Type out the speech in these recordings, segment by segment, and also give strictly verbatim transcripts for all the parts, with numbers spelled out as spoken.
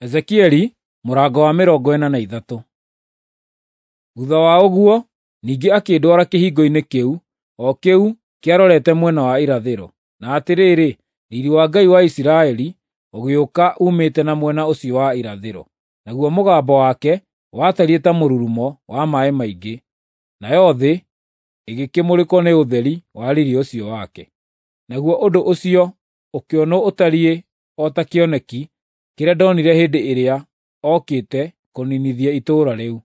Ezekieli mũrango wa mĩrongo ĩna na ithatũ. Thutha wa ũguo ningĩ akĩndwara kĩhingo-inĩ kĩu, o kĩu kĩarorete mwena wa irathĩro. Na atĩrĩrĩ, riiri wa Ngai wa Isiraeli ũgĩũka uumĩte na mwena ũcio wa irathĩro, naguo mũgambo wake watariĩ ta mũrurumo wa maaĩ maingĩ, nayo thĩ ĩgĩkĩmũrĩkwo nĩ ũtheri wa riiri ũcio wake. Naguo ũndũ ũcio ũkĩonwo ũtariĩ o ta kĩoneki kĩrĩa ndonire hĩndĩ ĩrĩa okĩte kũniinithia itũũra rĩu.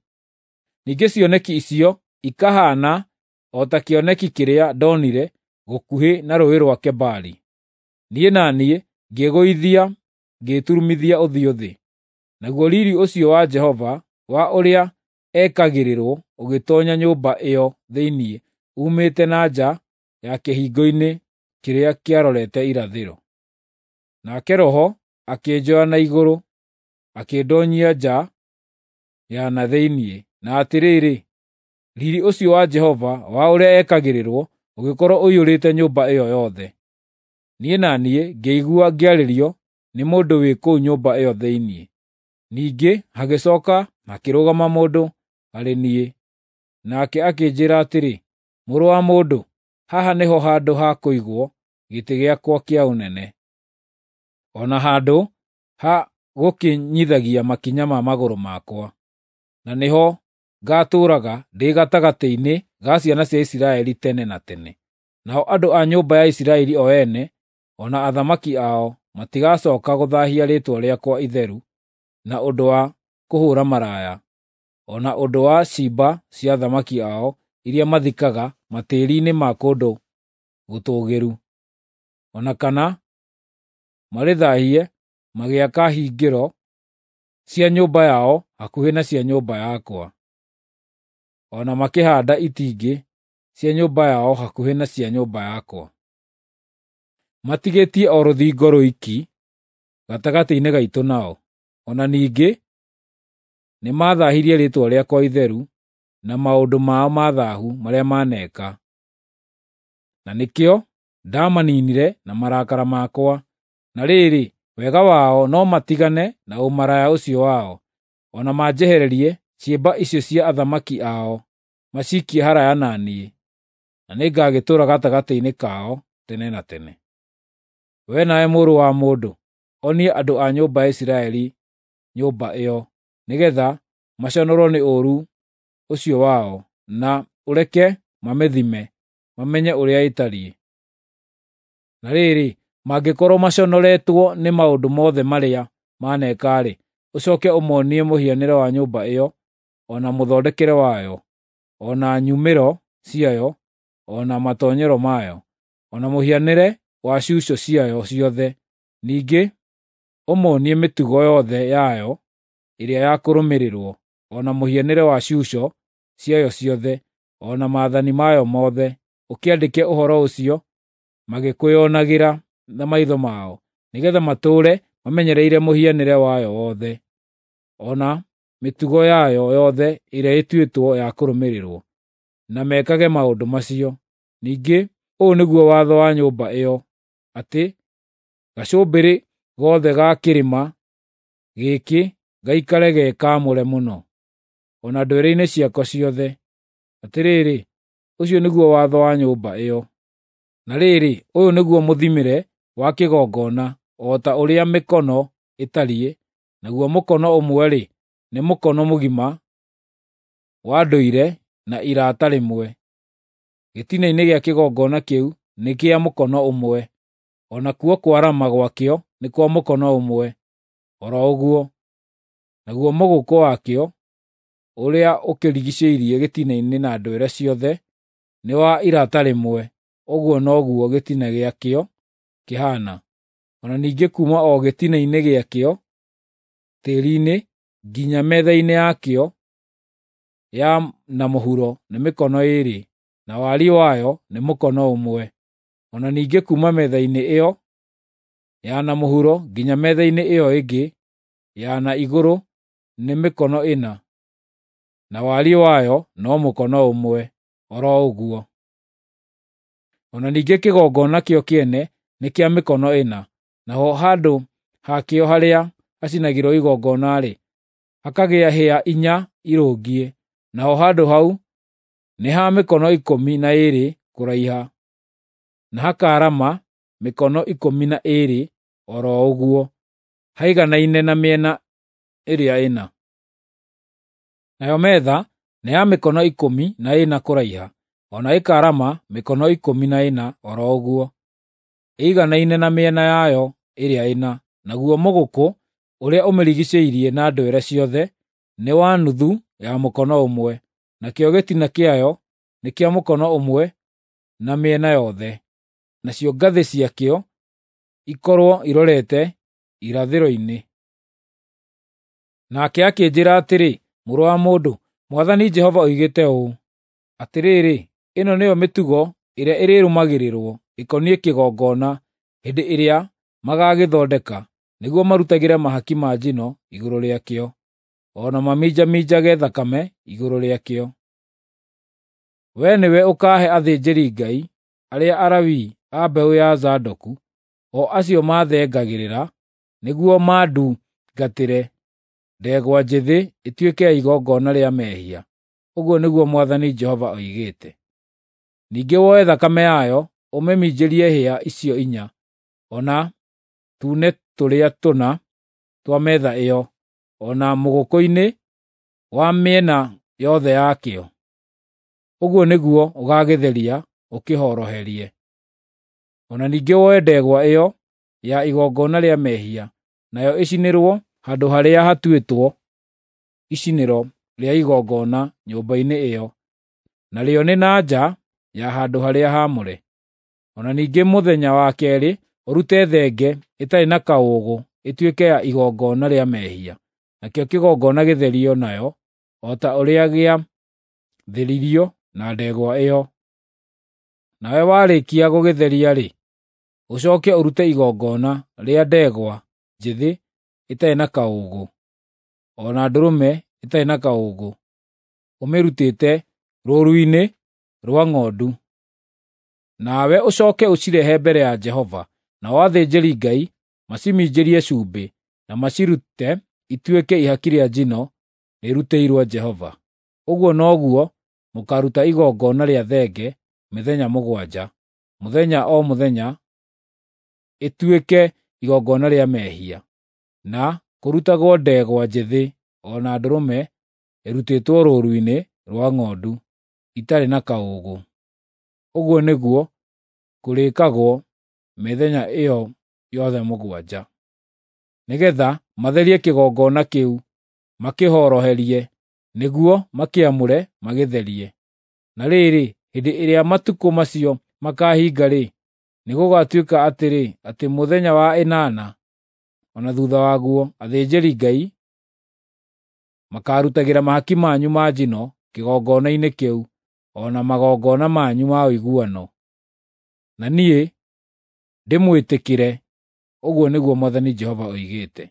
Ningĩ cioneki icio ikahaana o ta kĩoneki kĩrĩa ndonire gũkuhĩ na Rũũĩ rwa Kebari. Niĩ na niĩ ngĩĩgũithia ngĩĩturumithia ũthiũ thĩ. Naguo riiri ũcio wa Jehova wa ũrĩa ekagĩrĩrwo ũgĩtoonya nyũmba ĩyo thĩinĩ uumĩte na nja ya kĩhingo-inĩ kĩrĩa kĩarorete irathĩro. Nake Roho akĩnjoya na igũrũ akĩndoonyia nja ya na thĩinĩ, na atĩrĩrĩ, riiri ũcio wa Jehova wa ũrĩa ekagĩrĩrwo ũgĩkorwo ũiyũrĩte nyũmba ĩyo yothe. Niĩ na niĩ ngĩigua ngĩarĩrio nĩ mũndũ wĩ kũu nyũmba ĩyo thĩinĩ. Ningĩ hagĩcooka hakĩrũgama mũndũ harĩ niĩ, nake akĩnjĩĩra atĩrĩ, “Mũrũ wa mũndũ, haha nĩho handũ ha kũigwo gĩtĩ gĩakwa kĩa ũnene, o na handũ ha gũkinyithagia makinya ma magũrũ makwa, na nĩho ngaatũũraga ndĩ gatagatĩ-inĩ ga ciana cia Isiraeli tene na tene. Nao andũ a nyũmba ya Isiraeli o ene, o na athamaki ao matigacooka gũthaahia rĩĩtwa rĩakwa itheru na ũndũ wa kũhũũra maraya, o na ũndũ wa ciimba cia athamaki ao iria mathikaga matĩĩri-inĩ ma kũndũ gũtũũgĩru, o na kana marĩthaahie magĩaka hingĩro cia nyũmba yao hakuhĩ na cia nyũmba yakwa, o na makĩhaanda itingĩ cia nyũmba yao hakuhĩ na cia nyũmba yakwa. Matigĩtie o rũthingo rwiki gatagatĩ-inĩ gaitũ nao. O na ningĩ nĩmathaahirie rĩĩtwa rĩakwa itheru na maũndũ mao ma thaahu marĩa maneeka, na nĩkĩo ndaamaniinire na marakara makwa. Na rĩrĩ, wega wao no matigane na ũmaraya ũcio wao, o na manjehererie ciimba icio cia athamaki ao maciikie haraaya na niĩ, na nĩngagĩtũũra gatagatĩ-inĩ kao tene na tene. Wee nawe mũrũ wa mũndũ, onia andũ a nyũmba ya Isiraeli nyũmba ĩyo, nĩgeetha maconorwo nĩ ũũru ũcio wao, na ũreke mamĩthime, mamenye ũrĩa ĩtariĩ. Na rĩrĩ, mangĩkorwo maconoretwo nĩ maũndũ mothe marĩa maneeka-rĩ, ũcooke ũmoonie mũhianĩre wa nyũmba ĩyo, o na mũthondekere wayo, o na nyumĩro ciayo, o na matoonyero mayo, o na mũhianĩre wa cuco ciayo ciothe. Ningĩ ũmoonie mĩtugo yothe yayo ĩrĩa ya kũrũmĩrĩrwo, o na mũhianĩre wa cuco ciayo ciothe, o na maathani mayo mothe. Ũkĩandĩke ũhoro ũcio magĩkwĩonagĩra na maitho mao, nĩgeetha matũũre mamenyereire mũhianĩre wayo wothe, o na mĩtugo yayo yothe ĩrĩa ĩtuĩtwo ya kũrũmĩrĩrwo, na mekage maũndũ macio. Ningĩ ũũ nĩguo watho wa nyũmba ĩyo, atĩ gacũmbĩrĩ gothe ga kĩrĩma gĩkĩ gaikare ge kaamũre mũno, o na ndwere-inĩ ciako ciothe. Atĩrĩrĩ, ũcio nĩguo watho wa nyũmba ĩyo. Na rĩrĩ, ũyũ nĩguo mũthimĩre wa kĩgongona, o ta ũrĩa mĩkono ĩtariĩ, naguo mũkono ũmwe-rĩ, nĩ mũkono mũgima wa ndũire na irata rĩmwe. Gĩtina-inĩ gĩa kĩgongona kĩu nĩ kĩa mũkono ũmwe, o nakuo kwarama gwakĩo nĩ kwa mũkono ũmwe o ro ũguo. Naguo mũgũkũ wakĩo ũrĩa ũkĩrigiicĩirie gĩtina-inĩ na ndwere ciothe nĩ wa irata rĩmwe, ũguo noguo gĩtina gĩakĩo kĩhaana. O na ningĩ kuuma o gĩtina-inĩ gĩakĩo tĩĩri-inĩ nginya metha-inĩ yakĩo ya na mũhuro nĩ mĩkono ĩĩrĩ, na wariĩ wayo nĩ mũkono ũmwe. O na ningĩ kuuma metha-inĩ ĩyo ya na mũhuro nginya metha-inĩ ĩyo ĩngĩ ya na igũrũ nĩ mĩkono ĩna, na wariĩ wayo no mũkono ũmwe o ro ũguo. O na ningĩ kĩgongona kĩo kĩene nĩ kĩa mĩkono ĩna, naho handũ hakĩo harĩa hacinagĩrwo igongona-rĩ, hakagĩa hĩa inya irũngiĩ, naho handũ hau nĩ ha mĩkono ikũmi na ĩĩrĩ kũraiha, na hakaarama mĩkono ikũmi na ĩĩrĩ o ro ũguo, haiganaine na mĩena ĩrĩa ĩna. Nayo metha nĩ ya mĩkono ikũmi na ĩna kũraiha, o na ĩkaarama mĩkono ikũmi na ĩna o ro ũguo, ĩiganaine na mĩena yayo ĩrĩa ĩna, naguo mũgũkũ ũrĩa ũmĩrigiicĩirie na ndwere ciothe nĩ wa nuthu ya mũkono ũmwe, nakĩo gĩtina kĩayo nĩ kĩa mũkono ũmwe na mĩena yothe, nacio ngathĩ ciakĩo ikorwo irorete irathĩro-inĩ. Nake akĩnjĩĩra atĩrĩ, “Mũrũ wa mũndũ, Mwathani Jehova oigĩte ũũ: Atĩrĩrĩ, ĩno nĩyo mĩtugo ĩrĩa ĩrĩrũmagĩrĩrwo ĩkoniĩ kĩgongona hĩndĩ ĩrĩa magaagĩthondeka, nĩguo marutagĩre mahaki ma njino igũrũ rĩakĩo, o na maminjaminjage thakame igũrũ rĩakĩo. Wee nĩwe ũkaahe athĩnjĩri-Ngai arĩa Alawii a mbeũ ya Zadoku, o acio maathengagĩrĩra nĩguo mandungatĩre, ndegwa njĩthĩ ĩtuĩke ya igongona rĩa mehia, ũguo nĩguo Mwathani Jehova oigĩte. Ningĩ woe thakame yayo ũmĩminjĩrie hĩa icio inya, o na tuune tũrĩa tũna twa metha ĩyo, o na mũgũkũ-inĩ wa mĩena yothe yakĩo. Ũguo nĩguo ũgaagĩtheria ũkĩhoroherie. O na ningĩ woe ndegwa ĩyo ya igongona rĩa mehia, nayo ĩcinĩrwo handũ harĩa hatuĩtwo icinĩro rĩa igongona nyũmba-inĩ ĩyo, narĩo nĩ na nja ya handũ-harĩa-haamũre. O na ningĩ mũthenya wa keerĩ ũrute thenge ĩtarĩ na kaũũgũ ĩtuĩke ya igongona rĩa mehia, nakĩo kĩgongona gĩtherio nayo o ta ũrĩa gĩatheririo na ndegwa ĩyo. Nawe warĩkia gũgĩtheria-rĩ, ũcooke ũrute igongona rĩa ndegwa njĩthĩ ĩtarĩ na kaũũgũ, o na ndũrũme ĩtarĩ na kaũũgũ, ũmĩrutĩte rũũru-inĩ rwa ng'ondu. Nawe ũcooke ũcirehe mbere ya Jehova, nao athĩnjĩri-Ngai maciminjĩrie cumbĩ, na macirute ituĩke ihaki rĩa njino rĩrutĩirwo Jehova. Ũguo noguo mũkaaruta igongona rĩa thenge mĩthenya mũgwanja, mũthenya o mũthenya ĩtuĩke igongona rĩa mehia, na kũrutagwo ndegwa njĩthĩ o na ndũrũme ĩrutĩtwo rũũru-inĩ rwa ng'ondu itarĩ na kaũũgũ. Ũguo nĩguo kũrĩĩkagwo mĩthenya ĩyo yothe mũgwanja, nĩgeetha matherie kĩgongona kĩu makĩhoroherie, nĩguo makĩamũre magĩtherie. Na rĩrĩ, hĩndĩ ĩrĩa matukũ macio makaahinga-rĩ, nĩgũgatuĩka atĩrĩ, atĩ mũthenya wa ĩnana o na thuutha waguo athĩnjĩri-Ngai makaarutagĩra mahaki manyu ma njino kĩgongona-inĩ kĩu, o na magongona manyu ma ũiguano, na niĩ ndĩmwĩtĩkĩre, ũguo nĩguo Mwathani Jehova oigĩte.